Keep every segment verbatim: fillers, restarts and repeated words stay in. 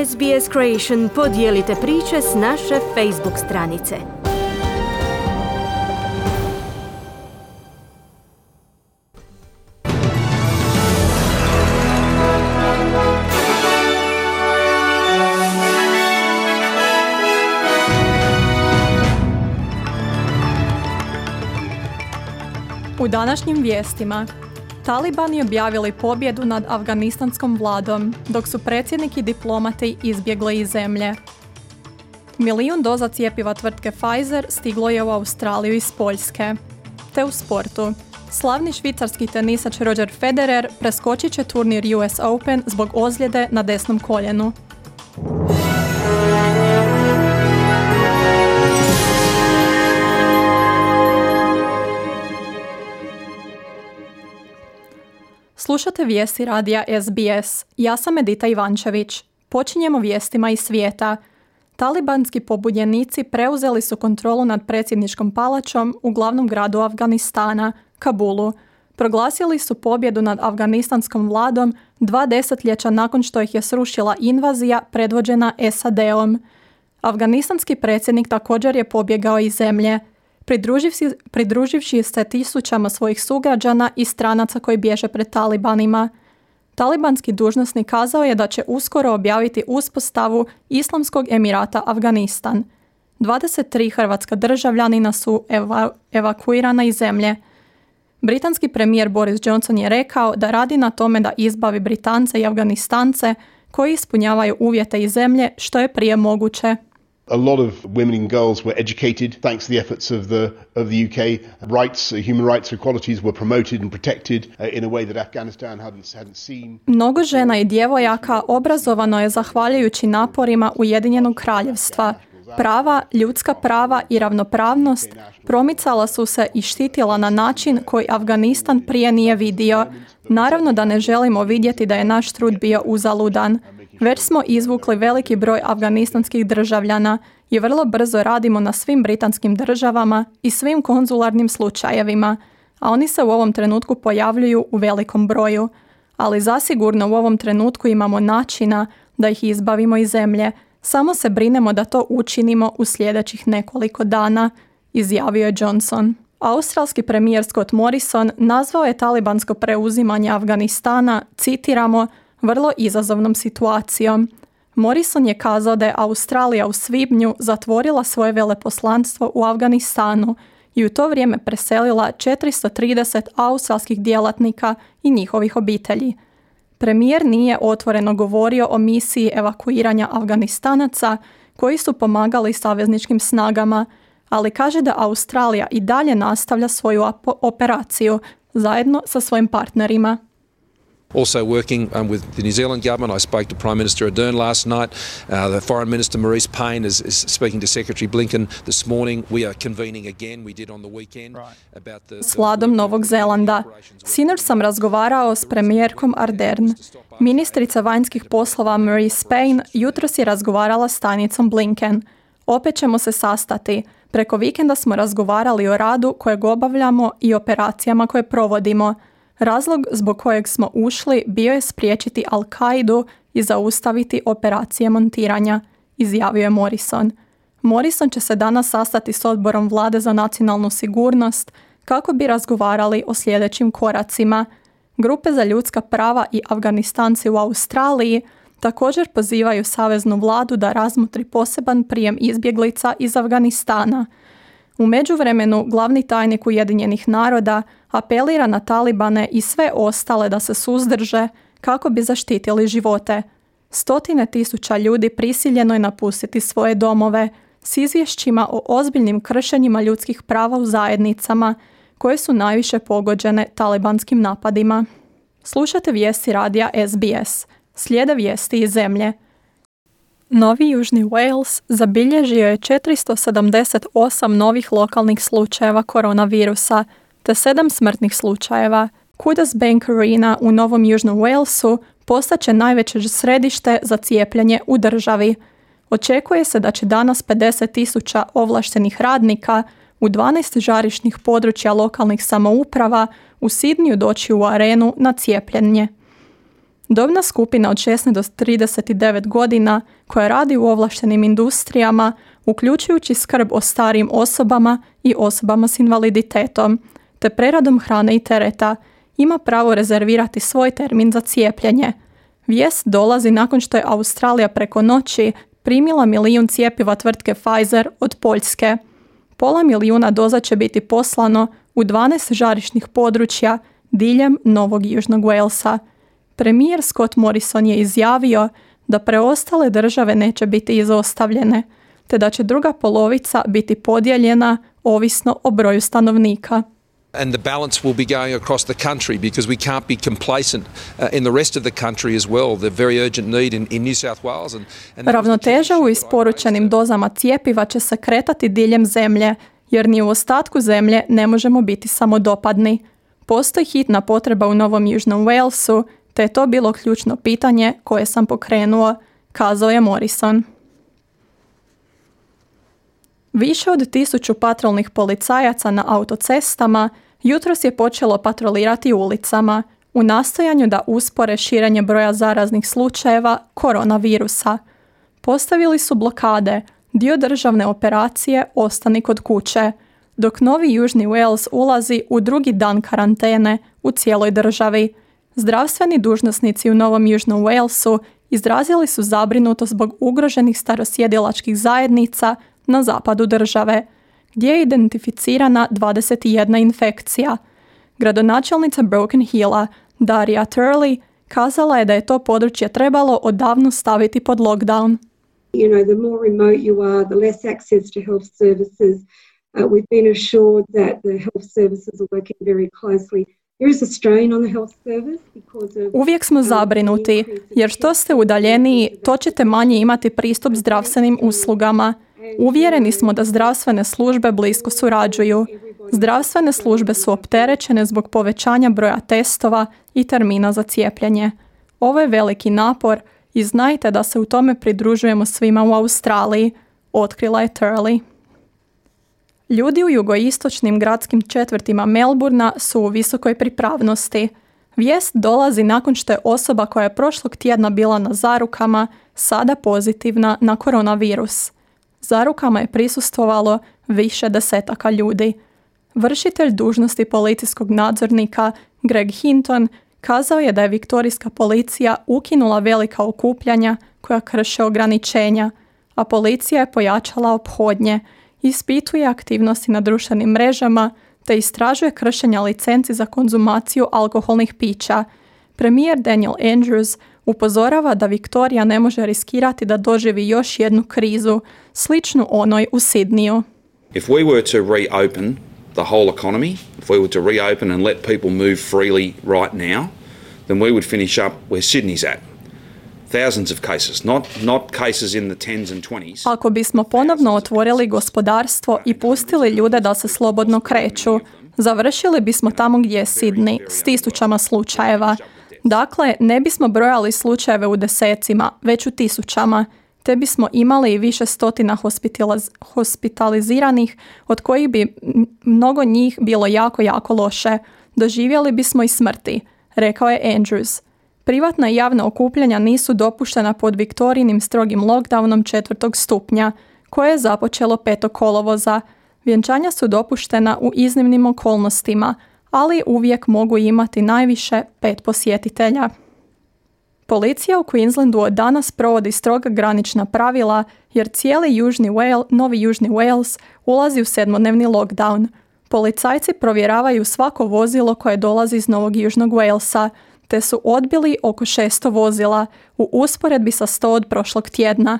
S B S Creation podijelite priče s naše Facebook stranice. U današnjim vijestima, Talibani objavili pobjedu nad afganistanskom vladom, dok su predsjednik i diplomati izbjegli iz zemlje. Milijun doza cjepiva tvrtke Pfizer stiglo je u Australiju iz Poljske. Te u sportu, slavni švicarski tenisač Roger Federer preskočit će turnir U S Open zbog ozljede na desnom koljenu. Slušate vijesti radija S B S. Ja sam Edita Ivančević. Počinjemo vijestima iz svijeta. Talibanski pobunjenici preuzeli su kontrolu nad predsjedničkom palačom u glavnom gradu Afganistana, Kabulu. Proglasili su pobjedu nad afganistanskom vladom dva desetljeća nakon što ih je srušila invazija predvođena S A D-om. Afganistanski predsjednik također je pobjegao iz zemlje, Pridruživši, pridruživši se tisućama svojih sugrađana i stranaca koji bježe pred talibanima. Talibanski dužnosnik kazao je da će uskoro objaviti uspostavu Islamskog emirata Afganistan. dvadeset tri hrvatska državljanina su eva, evakuirana iz zemlje. Britanski premijer Boris Johnson je rekao da radi na tome da izbavi Britance i Afganistance koji ispunjavaju uvjete iz zemlje što je prije moguće. A lot of women and girls were educated thanks to the efforts of the of the U K. Rights, uh, human rights, equalities were promoted and protected uh, in a way that Afghanistan hadn't hadn't seen. Mnogo žena i djevojaka obrazovano je zahvaljujući naporima Ujedinjenog kraljevstva. Prava, ljudska prava i ravnopravnost promicala su se i štitila na način koji Afganistan prije nije vidio. Naravno da ne želimo vidjeti da je naš trud bio uzaludan. Već smo izvukli veliki broj afganistanskih državljana i vrlo brzo radimo na svim britanskim državama i svim konzularnim slučajevima, a oni se u ovom trenutku pojavljuju u velikom broju. Ali zasigurno u ovom trenutku imamo načina da ih izbavimo iz zemlje. Samo se brinemo da to učinimo u sljedećih nekoliko dana, izjavio je Johnson. Australski premijer Scott Morrison nazvao je talibansko preuzimanje Afganistana, citiramo, vrlo izazovnom situacijom. Morrison je kazao da je Australija u svibnju zatvorila svoje veleposlanstvo u Afganistanu i u to vrijeme preselila četiristo trideset australskih djelatnika i njihovih obitelji. Premijer nije otvoreno govorio o misiji evakuiranja Afganistanaca koji su pomagali savezničkim snagama, ali kaže da Australija i dalje nastavlja svoju operaciju zajedno sa svojim partnerima. Also working um, with the New Zealand government. I spoke to Prime Minister Ardern last night. Uh, the Foreign Minister Maurice Payne is, is speaking to Secretary Blinken this morning. We are convening again. We did on the weekend about the... S vladom Novog Zelanda. Sinoć sam razgovarao s premijerkom Ardern. Ministrica vanjskih poslova Maurice Payne jutros je razgovarala s tajnicom Blinken. Opet ćemo se sastati. Preko vikenda smo razgovarali o radu kojeg obavljamo i operacijama koje provodimo. Razlog zbog kojeg smo ušli bio je spriječiti Al-Kaidu i zaustaviti operacije montiranja, izjavio je Morrison. Morrison će se danas sastati s odborom vlade za nacionalnu sigurnost kako bi razgovarali o sljedećim koracima. Grupe za ljudska prava i Afganistanci u Australiji također pozivaju saveznu vladu da razmotri poseban prijem izbjeglica iz Afganistana. U međuvremenu, glavni tajnik Ujedinjenih naroda apelira na Talibane i sve ostale da se suzdrže kako bi zaštitili živote. Stotine tisuća ljudi prisiljeno je napustiti svoje domove s izvješćima o ozbiljnim kršenjima ljudskih prava u zajednicama koje su najviše pogođene talibanskim napadima. Slušate vijesti radija S B S. Slijede vijesti iz zemlje. Novi Južni Wales zabilježio je četiristo sedamdeset osam novih lokalnih slučajeva koronavirusa te sedam smrtnih slučajeva. Qudos Bank Arena u Novom Južnom Walesu postaće najveće središte za cijepljenje u državi. Očekuje se da će danas pedeset tisuća ovlaštenih radnika u dvanaest žarišnih područja lokalnih samouprava u Sidniju doći u arenu na cijepljenje. Dobna skupina od šesnaest do trideset devet godina koja radi u ovlaštenim industrijama, uključujući skrb o starijim osobama i osobama s invaliditetom, te preradom hrane i tereta, ima pravo rezervirati svoj termin za cijepljenje. Vijest dolazi nakon što je Australija preko noći primila milijun cjepiva tvrtke Pfizer od Poljske. Pola milijuna doza će biti poslano u dvanaest žarišnih područja diljem Novog Južnog Walesa. Premijer Scott Morrison je izjavio da preostale države neće biti izostavljene, te da će druga polovica biti podijeljena ovisno o broju stanovnika. And the balance will be going across the country because we can't be complacent uh, in the rest of the country as well. The very urgent need in, in New South Wales. And, and Ravnoteža u isporučenim dozama cjepiva će se kretati diljem zemlje, jer ni u ostatku zemlje ne možemo biti samodopadni. Postoji hitna potreba u Novom Južnom Walesu, te je to bilo ključno pitanje koje sam pokrenuo, kazao je Morrison. Više od tisuću patrolnih policajaca na autocestama jutros je počelo patrolirati ulicama u nastojanju da uspore širenje broja zaraznih slučajeva koronavirusa. Postavili su blokade, dio državne operacije Ostani kod kuće, dok Novi Južni Wales ulazi u drugi dan karantene u cijeloj državi. Zdravstveni dužnosnici u Novom Južnom Walesu izrazili su zabrinutost zbog ugroženih starosjedilačkih zajednica na zapadu države, gdje je identificirana dvadeset jedna infekcija. Gradonačelnica Broken Hilla, Daria Turley, kazala je da je to područje trebalo odavno staviti pod lockdown. You know, the more remote you are, the less access to health services. Uh, we've been assured that the health services are working very closely. There is a strain on the health service because of... Uvijek smo zabrinuti, jer što ste udaljeniji, to ćete manje imati pristup zdravstvenim uslugama. Uvjereni smo da zdravstvene službe blisko surađuju. Zdravstvene službe su opterećene zbog povećanja broja testova i termina za cijepljenje. Ovo je veliki napor i znajte da se u tome pridružujemo svima u Australiji, otkrila je Turley. Ljudi u jugoistočnim gradskim četvrtima Melbourna su u visokoj pripravnosti. Vijest dolazi nakon što je osoba koja je prošlog tjedna bila na zarukama sada pozitivna na koronavirus. Zarukama je prisustvovalo više desetaka ljudi. Vršitelj dužnosti policijskog nadzornika Greg Hinton kazao je da je viktorijska policija ukinula velika okupljanja koja krše ograničenja, a policija je pojačala ophodnje, ispituje aktivnosti na društvenim mrežama te istražuje kršenja licenci za konzumaciju alkoholnih pića. Premijer Daniel Andrews upozorava da Viktorija ne može riskirati da doživi još jednu krizu, sličnu onoj u Sidniju. If we were to reopen the whole economy, if we were to reopen and let people move freely right now, then we would finish up where Sydney's at. Thousands of cases, not not cases in the tens and twenties. Ako bismo ponovno otvorili gospodarstvo i pustili ljude da se slobodno kreću, završili bismo tamo gdje je Sydney, s tisućama slučajeva. Dakle, ne bismo brojali slučajeve u desecima, već u tisućama, te bismo imali i više stotina hospitaliz- hospitaliziranih, od kojih bi mnogo njih bilo jako, jako loše. Doživjeli bismo i smrti, rekao je Andrews. Privatna i javna okupljanja nisu dopuštena pod Viktorijinim strogim lockdownom četvrtog stupnja, koje je započelo petog kolovoza. Vjenčanja su dopuštena u iznimnim okolnostima, ali uvijek mogu imati najviše pet posjetitelja. Policija u Queenslandu od danas provodi stroga granična pravila jer cijeli Južni Wales, Novi Južni Wales ulazi u sedmodnevni lockdown. Policajci provjeravaju svako vozilo koje dolazi iz Novog Južnog Walesa, te su odbili oko šesto vozila u usporedbi sa sto od prošlog tjedna.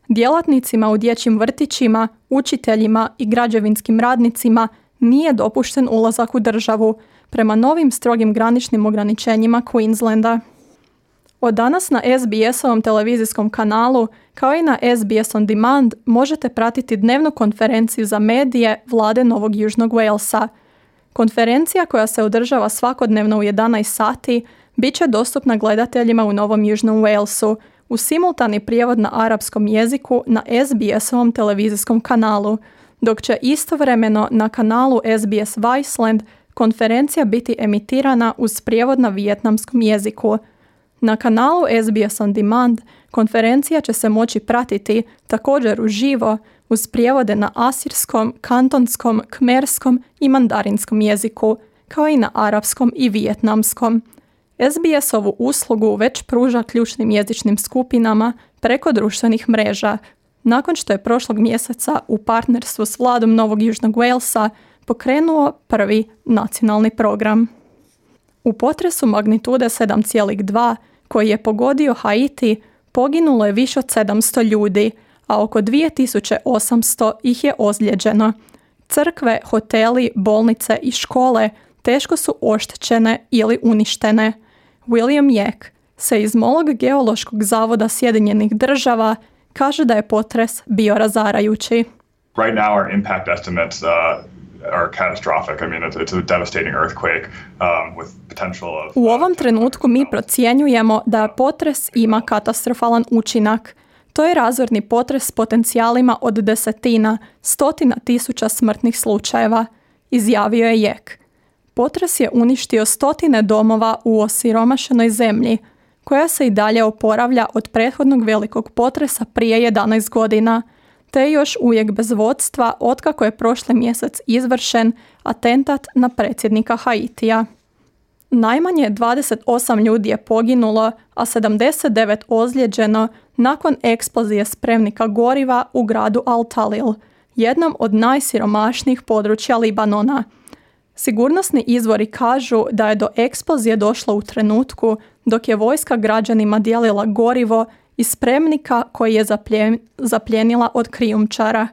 Djelatnicima u dječjim vrtićima, učiteljima i građevinskim radnicima nije dopušten ulazak u državu prema novim strogim graničnim ograničenjima Queenslanda. Od danas na S B S-ovom televizijskom kanalu, kao i na S B S On Demand, možete pratiti dnevnu konferenciju za medije vlade Novog Južnog Walesa. Konferencija koja se održava svakodnevno u jedanaest sati bit će dostupna gledateljima u Novom Južnom Walesu u simultani prijevod na arapskom jeziku na S B S-ovom televizijskom kanalu, dok će istovremeno na kanalu S B S Viceland konferencija biti emitirana uz prijevod na vijetnamskom jeziku. Na kanalu S B S On Demand konferencija će se moći pratiti također uživo uz prijevode na asirskom, kantonskom, kmerskom i mandarinskom jeziku, kao i na arapskom i vijetnamskom. S B S ovu uslugu već pruža ključnim jezičnim skupinama preko društvenih mreža, nakon što je prošlog mjeseca u partnerstvu s vladom Novog Južnog Walesa pokrenuo prvi nacionalni program. U potresu magnitude sedam zarez dva koji je pogodio Haiti poginulo je više od sedamsto ljudi, a oko dvije tisuće osamsto ih je ozlijeđeno. Crkve, hoteli, bolnice i škole teško su oštećene ili uništene. William Yek, seizmolog Geološkog zavoda Sjedinjenih država, kaže da je potres bio razarajući. Right now our impact estimates uh, are catastrophic. I mean, it's, it's a devastating earthquake um, with potential of... U ovom trenutku mi procjenjujemo da potres ima katastrofalan učinak. To je razorni potres s potencijalima od desetina, stotina tisuća smrtnih slučajeva, izjavio je Yek. Potres je uništio stotine domova u osiromašenoj zemlji, koja se i dalje oporavlja od prethodnog velikog potresa prije jedanaest godina, te je još uvijek bez vodstva otkako je prošli mjesec izvršen atentat na predsjednika Haitija. Najmanje dvadeset osam ljudi je poginulo, a sedamdeset devet ozlijeđeno nakon eksplozije spremnika goriva u gradu Al-Talil, jednom od najsiromašnijih područja Libanona. Sigurnosni izvori kažu da je do eksplozije došlo u trenutku dok je vojska građanima dijelila gorivo iz spremnika koji je zapljen, zapljenila od krijumčara.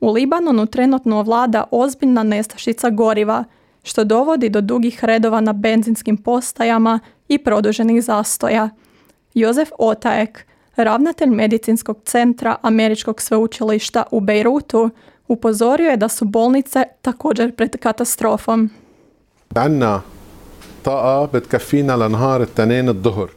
U Libanonu trenutno vlada ozbiljna nestašica goriva, što dovodi do dugih redova na benzinskim postajama i produženih zastoja. Josef Otaek, ravnatelj medicinskog centra Američkog sveučilišta u Bejrutu, upozorio je da su bolnice također pred katastrofom. عنا طاقة بتكفينا لنهار التنين الظهر.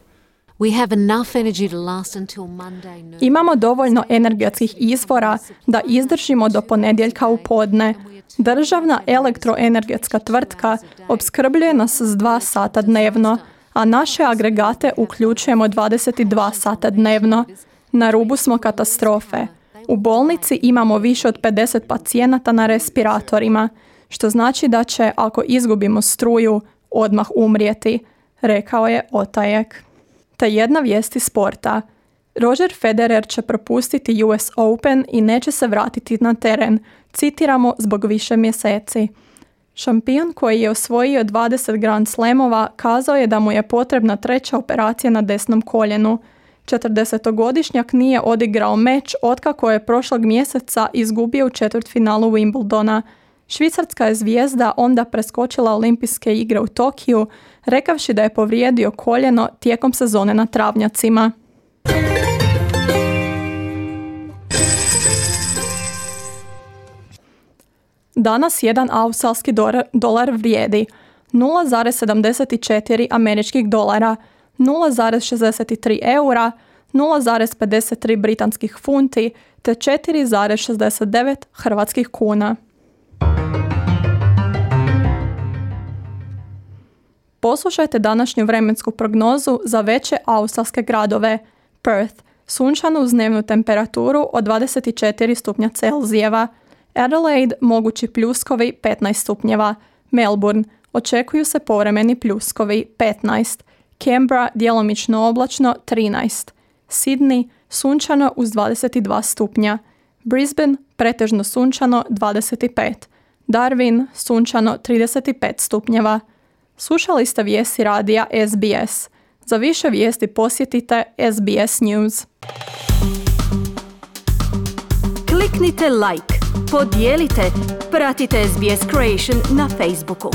We have enough energy to last until Monday noon. Imamo dovoljno energetskih izvora da izdržimo do ponedjeljka u podne. Državna elektroenergetska tvrtka opskrbljuje nas s dva sata dnevno, a naše agregate uključujemo dvadeset dva sata dnevno. Na rubu smo katastrofe. U bolnici imamo više od pedeset pacijenata na respiratorima, što znači da će, ako izgubimo struju, odmah umrijeti, rekao je Otajek. Te jedna vijest iz sporta. Roger Federer će propustiti U S Open i neće se vratiti na teren, citiramo zbog više mjeseci. Šampion koji je osvojio dvadeset Grand Slamova kazao je da mu je potrebna treća operacija na desnom koljenu. četrdesetogodišnjak nije odigrao meč otkako je prošlog mjeseca izgubio u četvrtfinalu Wimbledona. Švicarska je zvijezda onda preskočila olimpijske igre u Tokiju, rekavši da je povrijedio koljeno tijekom sezone na travnjacima. Danas jedan australski dolar vrijedi nula zarez sedamdeset četiri američkih dolara, nula zarez šezdeset tri eura, nula zarez pedeset tri britanskih funti te četiri zarez šezdeset devet hrvatskih kuna. Poslušajte današnju vremensku prognozu za veće australske gradove. Perth, sunčano uz dnevnu temperaturu od dvadeset četiri stupnja Celzijeva. Adelaide, mogući pljuskovi petnaest stupnjeva. Melbourne, očekuju se povremeni pljuskovi petnaest. Canberra, djelomično oblačno trinaest. Sydney, sunčano uz dvadeset dva stupnja. Brisbane, pretežno sunčano dvadeset pet. Darwin, sunčano trideset pet stupnjeva. Slušali ste vijesti radija S B S. Za više vijesti posjetite S B S News. Kliknite like, podijelite, pratite S B S Creation na Facebooku.